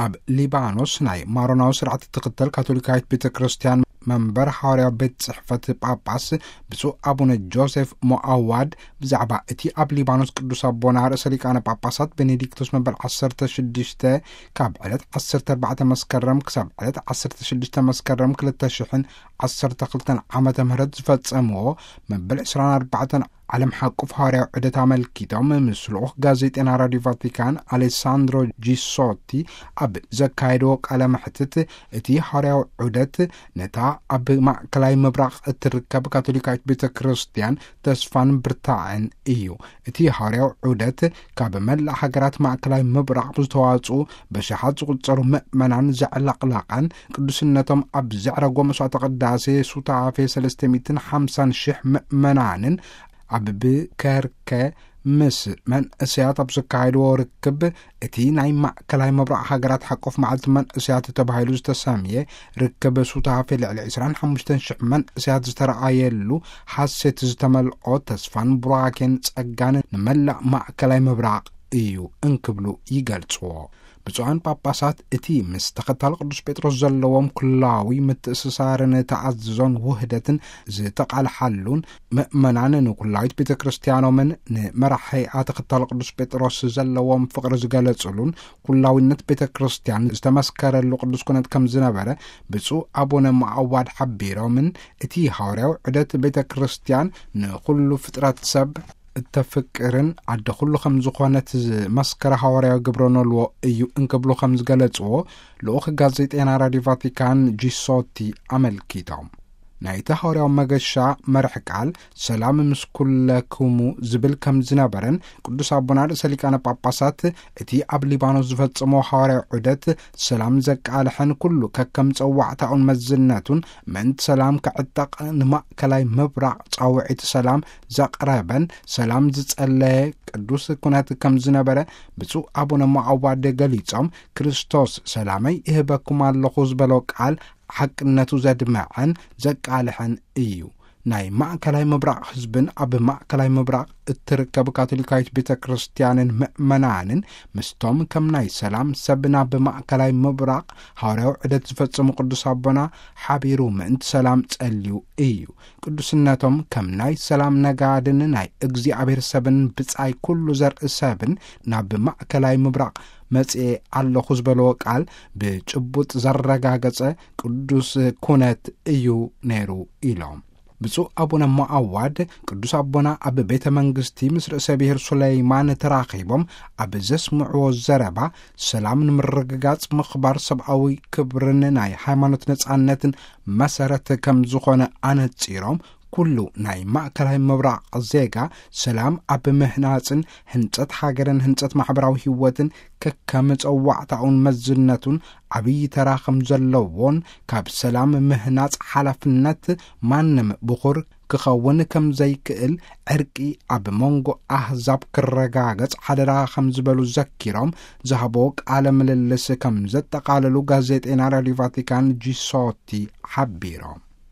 ኣብ ሊባኖስ ናይ ማሮናዊ ስርዓት እትኽተል ካቶሊካዊት ቤተ ክርስቲያን መንበር ሓዋርያዊ ቤት ጽሕፈት ጳጳስ ብፁዕ ኣቡነ ጆሴፍ ሞኣዋድ ብዛዕባ እቲ ኣብ ሊባኖስ ቅዱስ ኣቦና ርእሰ ሊቃነ ጳጳሳት ቤኔዲክቶስ መበል ዓሰርተ ሽዱሽተ ካብ ዕለት ዓሰርተ ኣርባዕተ መስከረም ክሳብ ዕለት ዓሰርተ ሽዱሽተ መስከረም ክልተ ሽሕን ዓሰርተ ክልተን ዓመተ ምህረት ዝፈጸምዎ መበል ዕስራን ኣርባዕተን ዓለም ሓቁፍ ሃዋርያዊ ዑደት ኣመልኪቶም ምስ ልኡኽ ጋዜጤና ራዲዮ ቫቲካን ኣሌሳንድሮ ጂሶቲ ኣብ ዘካየድዎ ቃለ መሕትት፣ እቲ ሃዋርያዊ ዑደት ነታ ኣብ ማእከላይ ምብራቕ እትርከብ ካቶሊካዊት ቤተ ክርስቲያን ተስፋን ብርታዕን እዩ። እቲ ሃዋርያዊ ዑደት ካብ መላእ ሃገራት ማእከላይ ምብራቕ ብዝተዋጽኡ በሽሓት ዝቑጸሩ ምእመናን ዘዕለቕለቐን፣ ቅዱስነቶም ኣብ ዘዕረጎ መስዋዕተ ቅዳሴ ሱታፌ ሰለስተ ሚእትን ሓምሳን ሽሕ ምእመናንን ኣብ ብከርከ ምስ መንእሰያት ኣብ ዘካየድዎ ርክብ፣ እቲ ናይ ማእከላይ ምብራቕ ሃገራት ሓቆፍ መዓልቲ መንእሰያት ተባሂሉ ዝተሰምየ ርክብ ሱታፌ ልዕሊ ዕስራን ሓሙሽተን ሽሕ መንእሰያት ዝተረኣየሉ፣ ሓሴት ዝተመልኦ ተስፋን ቡራኬን ጸጋን ንመላእ ማእከላይ ምብራቕ እዩ እንክብሉ ይገልጽዎ። ብፁዓን ጳጳሳት እቲ ምስ ተኸታሊ ቅዱስ ጴጥሮስ ዘለዎም ኩላዊ ምትእስሳርን ተኣዝዞን ውህደትን ዝተቓልሓሉን፣ ምእመናን ንኩላዊት ቤተ ክርስቲያኖምን ንመራሒኣ ተኸታሊ ቅዱስ ጴጥሮስ ዘለዎም ፍቕሪ ዝገለጽሉን፣ ኩላዊነት ቤተ ክርስቲያን ዝተመስከረሉ ቅዱስ ኩነት ከም ዝነበረ ብፁዕ ኣቡነ ማዕዋድ ሓቢሮምን፣ እቲ ሃዋርያዊ ዑደት ቤተ ክርስቲያን ንኹሉ ፍጥረት ሰብ እተፍቅርን ዓዲ ኩሉ ከም ዝኾነት ዝመስከረ ሃዋርያዊ ግብረ ኖልዎ እዩ እንክብሉ ከም ዝገለጽዎ ልኡኽ ጋዜጤና ራዲዮ ቫቲካን ጂሶቲ ኣመልኪቶም። ናይቲ ሃዋርያዊ መገሻ መርሕ ቃል ሰላም ምስ ኩለክሙ ዝብል ከም ዝነበረን፣ ቅዱስ ኣቦና ርእሰ ሊቃነ ጳጳሳት እቲ ኣብ ሊባኖስ ዝፈጸሞ ሃዋርያዊ ዑደት ሰላም ዘቃልሐን፣ ኩሉ ከከም ጸዋዕታኡን መዝነቱን ምእንቲ ሰላም ክዕጠቕ ንማእከላይ ምብራቕ ጻውዒት ሰላም ዘቕረበን ሰላም ዝጸለየ ቅዱስ ኩነት ከም ዝነበረ ብፁዕ ኣቡነ ማዕዋድ ገሊጾም፣ ክርስቶስ ሰላመይ እህበኩም ኣለኹ ዝበሎ ቃል ሓቅነቱ ዘድመዐን ዘቃልሐን እዩ። ናይ ማእከላይ ምብራቕ ህዝብን ኣብ ማእከላይ ምብራቕ እትርከብ ካቶሊካዊት ቤተ ክርስቲያንን ምእመናንን ምስቶም ከም ናይ ሰላም ሰብ ናብ ማእከላይ ምብራቕ ሃዋርያዊ ዑደት ዝፈጸሙ ቅዱስ ኣቦና ሓቢሩ ምእንቲ ሰላም ጸልዩ እዩ። ቅዱስነቶም ከም ናይ ሰላም ነጋድን ናይ እግዚኣብሔር ሰብን ብጻይ ኩሉ ዘርኢ ሰብን ናብ ማእከላይ ምብራቕ መጽኤ ኣለኹ ዝበልዎ ቃል ብጭቡጥ ዘረጋገጸ ቅዱስ ኩነት እዩ ነይሩ ኢሎም። ብፁዕ ኣቡነ ሞኣዋድ ቅዱስ ኣቦና ኣብ ቤተ መንግስቲ ምስ ርእሰ ብሔር ሱለይማን ተራኺቦም ኣብ ዘስምዕዎ ዘረባ፣ ሰላም ንምርግጋጽ ምኽባር ሰብኣዊ ክብርን ናይ ሃይማኖት ነጻነትን መሰረት ከም ዝኾነ ኣነጺሮም፣ ኩሉ ናይ ማእከላይ ምብራቕ ዜጋ ሰላም ኣብ ምህናጽን ህንጸት ሃገርን ህንጸት ማሕበራዊ ህይወትን ከከም ጸዋዕታኡን መዝነቱን ዓብዪ ተራ ከም ዘለዎን፣ ካብ ሰላም ምህናጽ ሓላፍነት ማንም ብኹር ክኸውን ከም ዘይክእል፣ ዕርቂ ኣብ መንጎ ኣህዛብ ክረጋገጽ ሓደራ ከም ዝበሉ ዘኪሮም፣ ዝሃቦ ቃለ ምልልስ ከም ዘጠቓለሉ ጋዜጤና ራዲዮ ቫቲካን ጂሶቲ ሓቢሮም።